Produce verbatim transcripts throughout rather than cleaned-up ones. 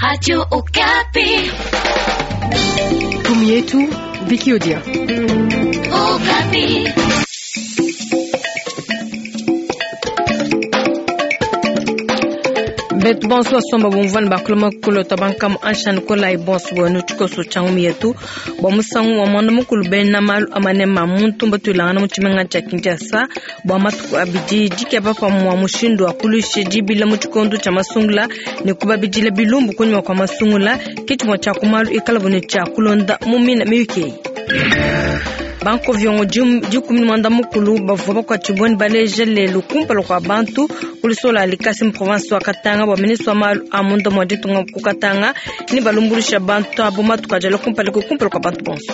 Radio Okapi. Kumi yetu Viki Odia. Okapi. Betu bonso basomba bumvua bakuluma kulota bankamu anshani kola bonso bwenu tshikoso tsha ngumi yetu bua musangu wa mwanda mukulu bena malu amanema muntu mbatuilangana mu tshimenga tshia Kinshasa bua matuku abidi dikeba pamua mushindu wa kuluisha dibila mu tshikondo tshia masungula ne kubabidila bilumbu kunyima kua masungula ke tshimue tshia ku malu ikala bune tshia kulonda mu mina miyuki. Banko viongo dikumi ne mwanda mukulu bavua bakuatshibue ne baleja lelu kumpala kua bantu kulisola likasi mu province wa Katanga bua ministre wa malu a munda mua ditunga ku Katanga ne balumbulusha bantu abo matuku adi alua kumpala kumpala kua bantu bonso.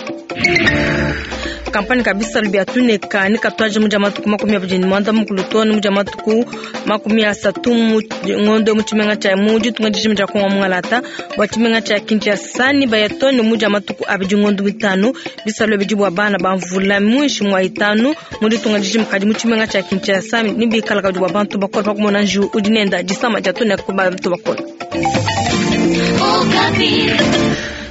Kampani kabisa bia tuneka ne katuaje mu dia matuku makumi abidi ne mwanda mukulu too ne mu dia matuku makumi asatu mu ngondo mu tshimenga tshia mu ditunga dijima dia Kongo mungalata bua tshimenga tshia Kinshasa ne baya too ne mu dia matuku abidi ngondo mitanu bisalu bidi bua bana ba mvula muinshi mua itanu mu ditunga dijima kadi mu tshimenga tshia Kinshasa ne bikala kadi bua bantu bakole pa kumona njiwu udi nenda disama dia tuneka ku bantu bakole.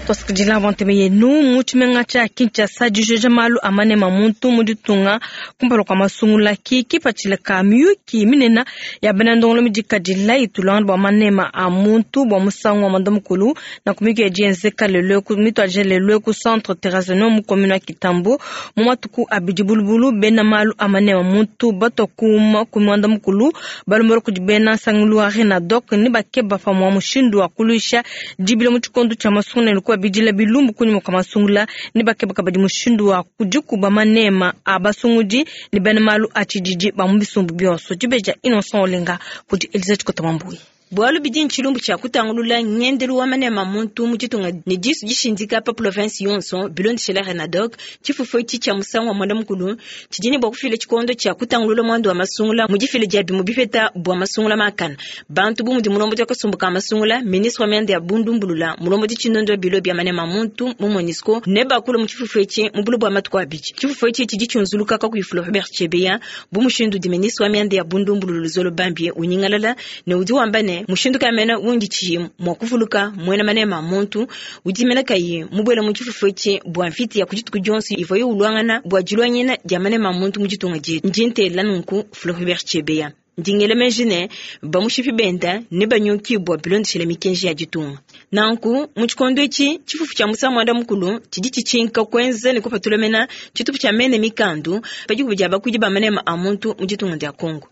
Twasikidila banteme yenu mu tshimenga tshia Kinshasa dijoja malu amanema muntu mu ditunga kumpala kua masungula ki kipatshila ka miyuki minene ya bena ndongolo midikadila itulanga bua manema a muntu bua musangu wa mwanda mukulu na kumiki ya dienzeka lelo mituadija lelo ku centre Terrazano mu commune ya Kitambo mu matuku abidi bulubulu bena malu amanema muntu bato kuma ku mwanda mukulu balombola kudi bena nsangilu wa Renadoc ne bakeba pamua mushindu wa kuluisha dibila mu tshikondo tshia masungula ne bidila bilumbu kunyima kua masungula ne bakeba kabadi mushindu wa kudikuba manema a basungudi ne bena malu a tshididi ba mu bisumbu bionso. Dibeja Innocent Olenga kudi Elisabeth Kotamambui. Bualu bidi ntshilumbu tshia kutangulula ngendelu wa manema muntu mu ditunga ne disu dishindika pa province yonso bilondeshela Renadoc tshifufu etshi tshia musangu wa mwanda mukulu tshidi ne bua kufila tshikondo tshia kutangulula muandu wa masungula mu difila dia bimue bipeta bua masungula makana bantu bu mudi mulombodi wa kasumbu ka masungula ministre wa mianda ya bundumbulula mulombodi tshinondo wa bilo bia manema muntu mu MONUSCO ne bakulu mu tshifufu etshi mu bulu bua matuku abidi. Tshifufu etshi tshidi tshiunzuluka kakuyi Floribert Chebeya bu mushindu di ministre wa mianda ya bundumbulula Luzolo Bambie unyingalala ne udi wamba ne mushindu kamena wundi tshi mwa kuvuluka mwena manema muntu udi mena kayi mubwela mu tshifufu etshi bua mfiti ya kudituku dionso ivo yo ulwangana bua dilwanyina dia manema muntu mu ditunga dietu. Ndi ntela nunku Floribert Chebeya ndingele meji ne bamushipi benda ne banyuki bua bilondeshela mikenji ya ditunga. Nanku mu tshikondo etshi tshifufu tshia musangu mwanda mukulu tshidi tshitshinka kuenza ne kupatula mena tshitupu tshia mene mikandu padiku dia bakuidi ba manema a muntu mu ditunga dia Kongo.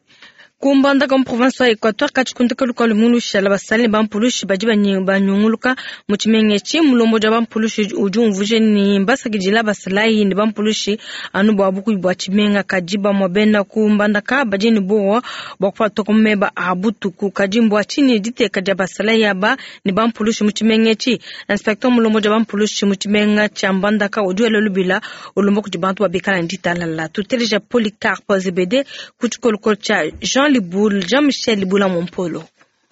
Kumbandaka mu province wa Equateur katshikundika lukalu mulushala basali ne bampulushi badi banyunguluka mu tshimenga etshi mulombodi wa bampulushi udi umvuje ne mbasakidila basalayi ne bampulushi anu bua bukubi bua tshimenga kadi bamue bena kumbandaka badi ne buowa bua kupatuka mu meba a butuku kadi mbua tshinyi diteka dia basalayi aba ne bampulushi mu tshimenga etshi. Inspecteur mulombodi wa bampulushi mu tshimenga tshia Mbandaka udi wela lubila ulomba kudi bantu babikala ne ditalala. Tuteleja Polycarpe Zebede ku tshikolokolo tshia Jean Liboul, Jean-Michel Liboula Mompolo.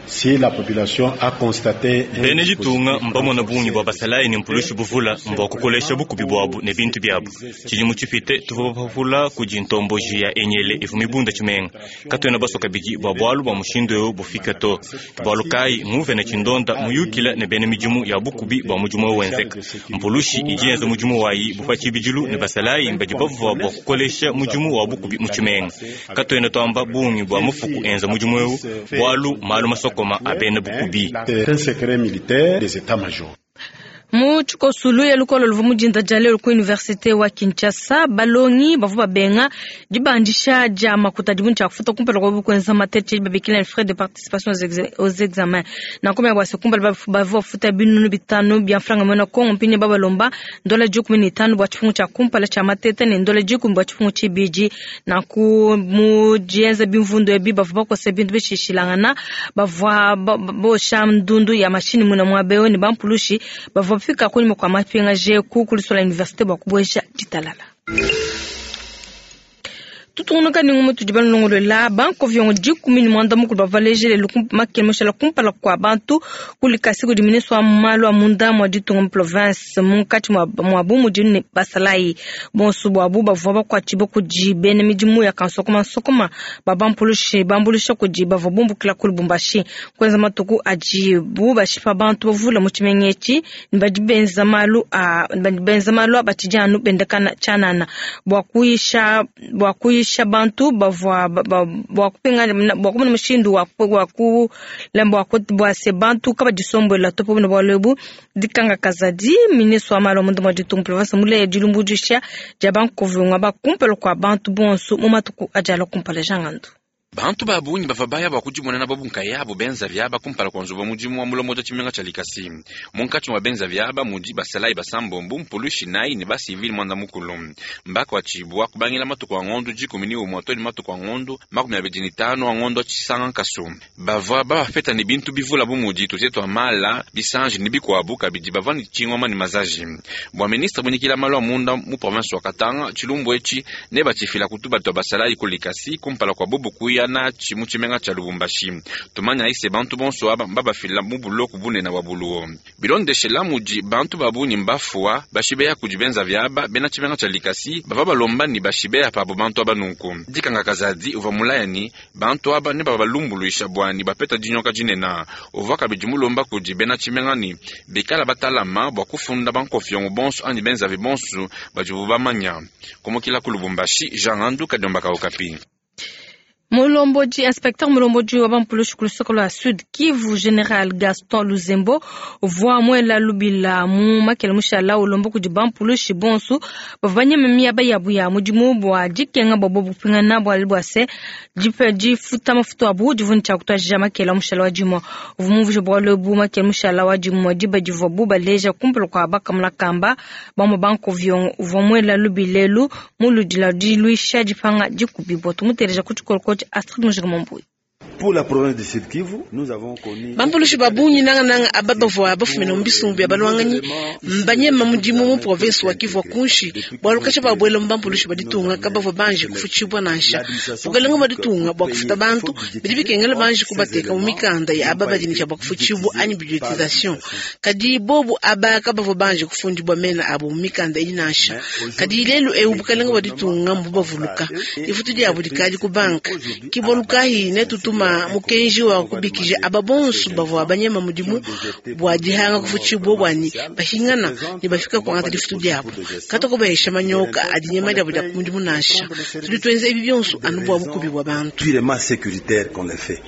Si la population a constaté bene ditunga mbamona bungi bua basalayi ne mpulushi buvula mbua kukolesha bukubi buabu ne bintu biabu. Tshidimu tshipite tuvua bapapula kudi ntomboji ya enyele ivu mibunda tshimenga katuena basoka bidi bua bualu bua mushindu eu bufika to. Bualu kayi nguvene tshindonda muyukila ne bene midimu ya bukubi bua mudimu eu wenzeka. Mpulushi idi yenza mudimu wayi bupa tshibidilu ne basalayi mbadi bavua bua kukolesha mudimu wa bukubi mu tshimenga. Katuena tuamba bungi bua mufuku enza mudimu eu bualu malu masoko abene bukubi. C'est un secret militaire des états-majors. Mu tshikosulu ya lukolo luvu mudinda dia lelo ku université wa Kinshasa balongi bavua babenga dibandisha dia makuta dibu tshia kufuta kumpala kwa kuenza matete babikila frais de participation aux examens na komya bwa se kumpala bavua bafuta binunu bitanu bia franga mwena Kongo mpini babalomba ndola dikumi ne itanu bua tshifungu tshia kumpala tshia matete ne ndola dikumi bua tshifungu tshibidi na ku mu dienza bimvundu ebi bavua bakosa bintu bishishilangana bavua bosha ndundu ya mashini muna mwabeo ne bampulushi bavua fika kunyuma kwa mapinga je ku kulisola université bua kubwesha ditalala. Tutungunuka ne ngumu tudi banulongolola bankovyongo dikumi ne muanda mukulu bavua baleje lelu makele mushala kumpala kua bantu ku Likasi kudi ministre wa malu a munda mua ditunga mu province munkatshi muabu mudi ne basalayi bonso buabu bavua bakuatshibue kudi bena midimu ya kansokoma nsokoma babampulushi bambuluisha kudi bavua bumbukila ku Lubumbashi kuenza matuku adibu bashipa bantu bavula mu tshimenga etshi ne badi benza malu a badi benza malu a batshidi anu bendakana tshianana bua kuyisha bua kuyisha bantu bavua bua kupinga bua kumona mushindu wa wa ku bua bua se bantu kabadisombola topo ne bualu ebu dikanga kazadi ministre wa malu a munda mua ditunga province muleya dilumbuluisha dia bankovunga bakumpala kua bantu bonso mu matuku adi alua kumpala jangandu. Bantu ba bungi bava baya bua kudimonena bobu nkayabo benza vyaba kumpala kua nzubu mudimu wa mulomo wa tshimenga tshia Likasi. Munkatshi mua benza vyaba mudi basalayi basambombo mpulushi nayi ne basivili mwanda mukulu. Mbakuatshibua kubangila matuku a ngondo dikumi ne umue to ne matuku a ngondo makumi abidi ne tanu a ngondo tshisanga nkasu. Bavua babapeta ne bintu bivula bu mudi tuzie tua mala bisanji ne bikuabu kabidi bavua ne tshingoma ne mazaji. Bua ministre munyikila malu a munda mu province wa Katanga tshilumbu etshi ne batshifila kutuba tua basalayi ku Likasi kumpala kua bobu kuya na chimu chimenga cha Lubumbashi. Tumanya ise bantu bonso aba mbabafila mu buloku bunene wa buluo. Bilondeshela mudi bantu babunyi mbafua bashibeya kudi benza vyaba bena chimenga cha Likasi bava balomba ni bashibeya pabo bantu aba nunku. Dikanga kazadi uva mulayani bantu aba ne baba balumbuluisha bwani bapeta dinyoka dinena. Uva kabidi mulomba kudi bena chimenga ni bikala batalama bwa kufunda bankofyongo bonso ani benza vi bonso bajibu bamanya. Komokila ku Lubumbashi Jean Andu Kadomba Okapi. Mulomboji, inspecteur Mulomboji wa bampulushi ku lusoko lwa Sud Kivu General Gaston Luzembo uvua muela lubila mu makele mushala ulomba kudi bampulushi bonso bavua banyema miaba yabu ya mudimu bua dikenga bua bobu kupingana bualu bua se difuta mafutu abu divua ne tshia kutuadija makele mushala wa dimue. Uvua mumvuije bualu ebu makele mushala wa dimue diba divuabu baleja kumpala kua bakamuna kamba bamue bankovyongo uvua muela lubila elu mu ludila diluisha dipanga dikubibua. Tumuteleja ku tshikoloko Astrid Mujinga Mambui. Pour la province de Sud Kivu, nous avons connu Bampulushi babunyi nanga nanga aba bavua bafumina mu bisumbu bya balwanganyi mbanyema mudimu mu province wa Kivu kunshi bwalu kasha babwela mu bampulushi baditunga kabavua banje kufutshibwa nansha bukalenga baditunga bwa kufuta bantu bidi bikengela banje kubateka mu mikanda ya aba badinisha bwa kufutshibwa anyi budgetisation kadi bobu aba kabavua banje kufundibwa mena abo mu mikanda idi nansha kadi lelu eu bukalenga baditunga mbu bavuluka ifutu diabu dikadi ku banka kibolukahi ne tutuma mukenji wa kubikija aba bonso bavua banyema mudimu bua dihanga kufutshibwa bwani bahingana ne bafika kuangata difutu diabu katoko bahesha manyoka adi nyema diabu dia mudimu nansha tudi tuenza ebi bionso anu bua bukubi bua bantu. Purement sécuritaire qu'on le fait.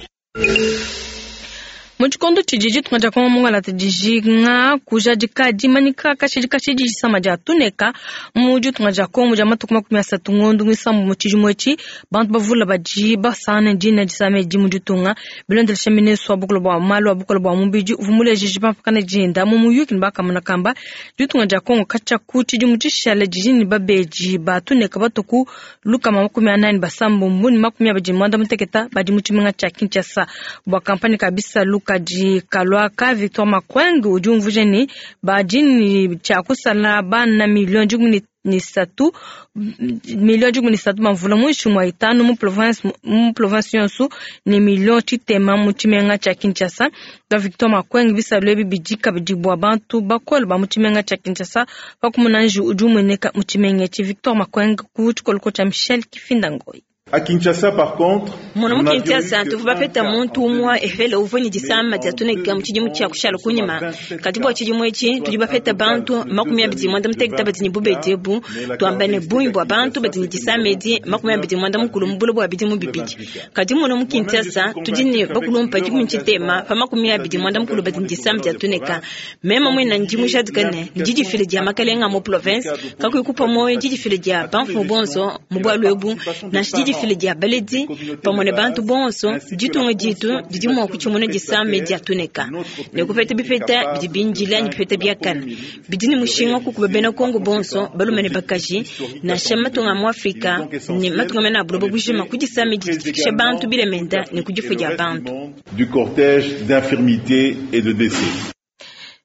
Mu tshikondo tshidi ditunga dia Kongo mungalata dijinga kujadika dimanyika kashidi kashidi disama dia tuneka mu ditunga dia Kongo dia matuku makumi asatu ngondo muisambu mu tshidimu etshi bantu bavula badi basana dina disama edi mu ditunga bilondelesha ministre wa bukulu bua malu a bukulu bua mubidi uvua muleje pampakana dinda mu muyuki ne bakamuna kamba ditunga dia Kongo katshia ku tshidimu tshishale didi ne babedi ba tuneka batuku lukama makumi anani basambombo ne makumi abidi ne muanda muteketa badi mu tshimenga tshia Kinshasa bua kampani ka bisalu kadi kalwaka Victor Makwenge udi umvuija ne badi ne tshia kusala bana milioni dikumi ne satu milioni dikumi ne satu bamvula muinshi mua itanu mu province mu province yonso ne milioni tshitema mu tshimenga tshia Kinshasa. Da Victor Makwenge bisalu ebi bidi kabidi bua bantu bakole ba mu tshimenga tshia Kinshasa pakumona nji udi umueneka mu tshimenga etshi. Victor Makwenge ku tshikoloko tshia Michel Kifinda Ngoyi. À Kinshasa, par contre, Muna mu Kinshasa tuvua bapeta muntu umue efele uvua ne disama dia tuneka mu tshidimu tshia kushala kunyima kadi bua tshidimu etshi tudi bapeta bantu makumi abidi muanda mutekete badi ne bubedi ebu tuamba ne bungi bua bantu badi ne disama edi makumi abidi muanda mukulu mu bule bua bidimu bibidi kadi muna mu Kinshasa tudi ne bakulumpa dikumi tshitema pa makumi abidi muanda mukulu badi ne disama dia tuneka mema muena ndi mujadika ne ndidifile dia makalenga mu province kakuyi kupa moyo ndidifile dia bamfumu bonso mu bualu ebu nansha didifile dia baledi pamue ne bantu bonso ditunga ditu didi mua kutshimuna disama dia tuneka ne kupeta bipeta bidi bindila ne bipeta biakana bidi ne mushinga kukuba bena Kongo bonso balume ne bakaji nansha matunga mu Afrika ne matunga mena buloba bujima ku disama difikisha bantu bilemenda ne ku difu dia bantu. Du cortège d'infirmité et de décès.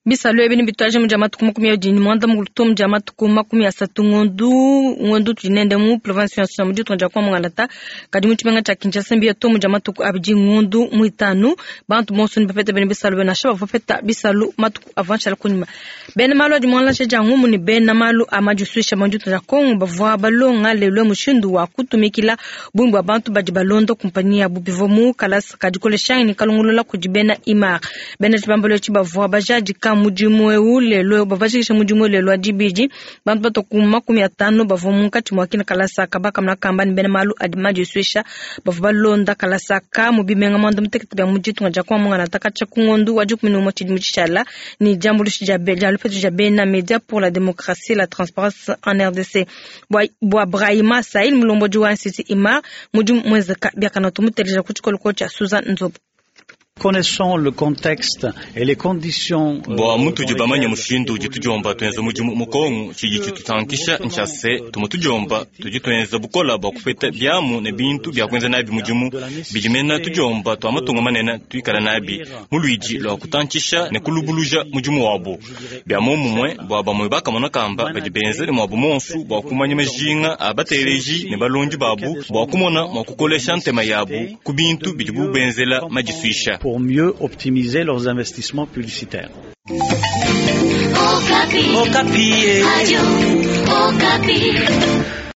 Bisalu ebi nebituadije mu dia matuku makumi abidi ne muanda mukulu to mu dia matuku makumi asatu ngondu ngondu tudi nende mu province yonso ya mu ditunga dia Kongo Mungalata, kadi mu tshimenga tshia Kinshasa mbiya to mu dia matuku abidi ngondu muitanu. Bantu bonso nebapete bene bisalu bena nansha bavua bapeta bisalu matuku avua nshala kunyima. Bena malu adi muangalasha dia ngumu ne bena malu a madisuisha mu ditunga dia Kongo bavua balonga lelu mushindu wa kutumikila bungi bua bantu badi balonda kumpanyi yabu bivua mu kalasa kadikolesha ne kalongolola kudi bena I M A R. Bena tshibambalu etshi bavua bajadika mudimu eu lelo, bavajikisha mudimu lelo wa dibidi. Bantu batua ku makumi atanu bavua munkatshi mua kina kalasa aka bakamuna kamba ne bena malu adi madisuisha bavua balonda kalasa aka mu bimenga muanda mutekete bia mu ditunga dia Kongo Mungalata katshia ku ngondu wa dikumi ne umue tshidimu tshishala ne diambuluisha dia dia lupetu dia bena Media pour la démocratie et la transparence en R D C. Bua, bua Brahima Sahil, mulombodi wa Institut I M A R, mudimu muenzeka biakana tumuteleja ku tshikoloko tshia Susan Nzobo. Connaissons le contexte et les conditions. Bua mutudi bamanye mushindu udi tudiomba tuenza mudimu mu Kongo, tshidi tshitusankisha ntshia se tumu tudiomba tudi tuenza bukola bua kupeta biamu ne bintu bia kuenza nabi mudimu bidi mena tudiomba tua matunga manene tuikala nabi mu luidi lua kutantshisha ne kulubuluja mudimu wabo. Bia momumue bua bamue bakamona kamba badi benza ne muabu monsu bua kumanya majinga a bateleji ne balondi babu bua kumona mua kukolesha ntema yabu ku bintu bidibu benzela madisuisha. Pour mieux optimiser leurs investissements publicitaires. Okapi. Okapi. Radio Okapi.